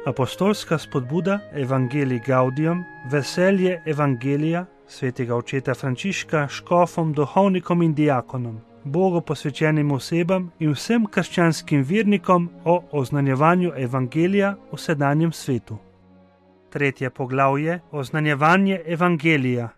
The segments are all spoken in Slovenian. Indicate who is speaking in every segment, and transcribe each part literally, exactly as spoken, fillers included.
Speaker 1: Apostolska spodbuda Evangelii Gaudium, veselje Evangelija svetega očeta Frančiška škofom, duhovnikom in diakonom, Bogu posvečenim osebam in vsem krščanskim vernikom o oznanjevanju Evangelija v sedanjem svetu. Tretje poglavje: oznanjevanje Evangelija.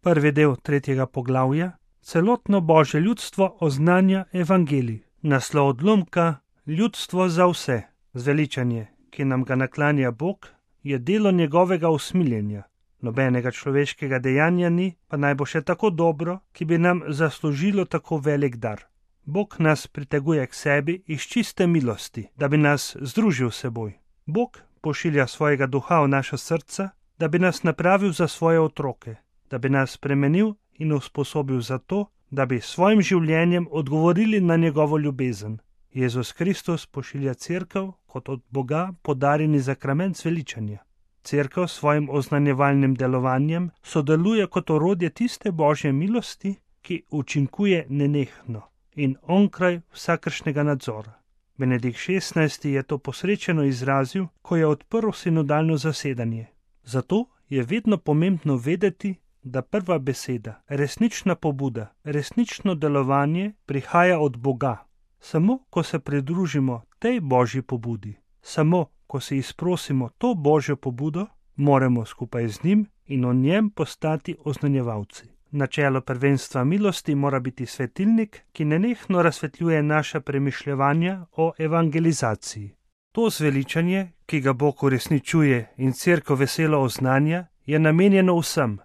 Speaker 1: Prvi del tretjega poglavja: celotno Božje ljudstvo oznanja Evangelij. Naslov odlomka: ljudstvo za vse. Zveličanje, ki nam ga naklanja Bog, je delo njegovega usmiljenja. Nobenega človeškega dejanja ni, pa naj bo še tako dobro, ki bi nam zaslužilo tako velik dar. Bog nas priteguje k sebi iz čiste milosti, da bi nas združil s seboj. Bog pošilja svojega duha v naša srca, da bi nas napravil za svoje otroke, da bi nas spremenil in usposobil za to, da bi s svojim življenjem odgovorili na njegovo ljubezen. Jezus Kristus pošilja cerkev kot od Boga podarjeni zakrament zveličanja. Cerkev s svojim oznanjevalnim delovanjem sodeluje kot orodje tiste Božje milosti, ki učinkuje nenehno in onkraj vsakršnega nadzora. Benedikt šestnajsti je to posrečeno izrazil, ko je odprl sinodalno zasedanje. Zato je vedno pomembno vedeti, da prva beseda, resnična pobuda, resnično delovanje prihaja od Boga. Samo ko se pridružimo tej Božji pobudi, samo ko si izprosimo to Božjo pobudo, moramo skupaj z njim in o njem postati oznanjevalci. Načelo prvenstva milosti mora biti svetilnik, ki nenehno razsvetljuje naša premišljevanja o evangelizaciji. To zveličanje, ki ga Bog uresničuje in cerkev veselo oznanja, je namenjeno vsem.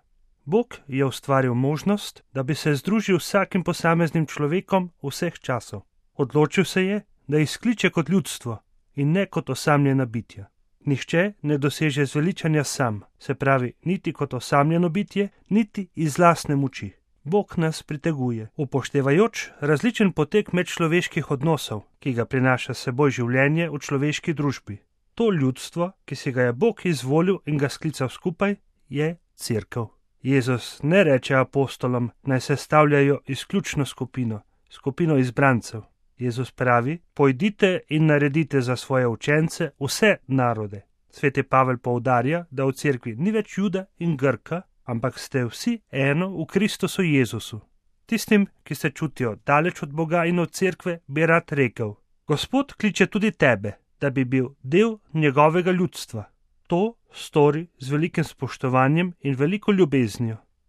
Speaker 1: Bog je ustvaril možnost, da bi se združil s vsakim posameznim človekom vseh časov. Odločil se je, da izkliče kot ljudstvo in ne kot osamljena bitja. Nihče ne doseže zveličanja sam, se pravi niti kot osamljeno bitje, niti iz lastne moči. Bog nas priteguje, upoštevajoč različen potek medčloveških odnosov, ki ga prinaša s seboj življenje v človeški družbi. To ljudstvo, ki si ga je Bog izvolil in ga sklical skupaj, je cerkev. Jezus ne reče apostolom, naj sestavljajo izključno skupino, skupino izbrancev. Jezus pravi, pojdite in naredite za svoje učence vse narode. Sveti Pavel poudarja, da v cerkvi ni več Juda in Grka, ampak ste vsi eno v Kristusu Jezusu. Tistim, ki se čutijo daleč od Boga in od cerkve, bi rad rekel: Gospod kliče tudi tebe, da bi bil del njegovega ljudstva. To stori z velikim spoštovanjem in veliko ljubeznijo.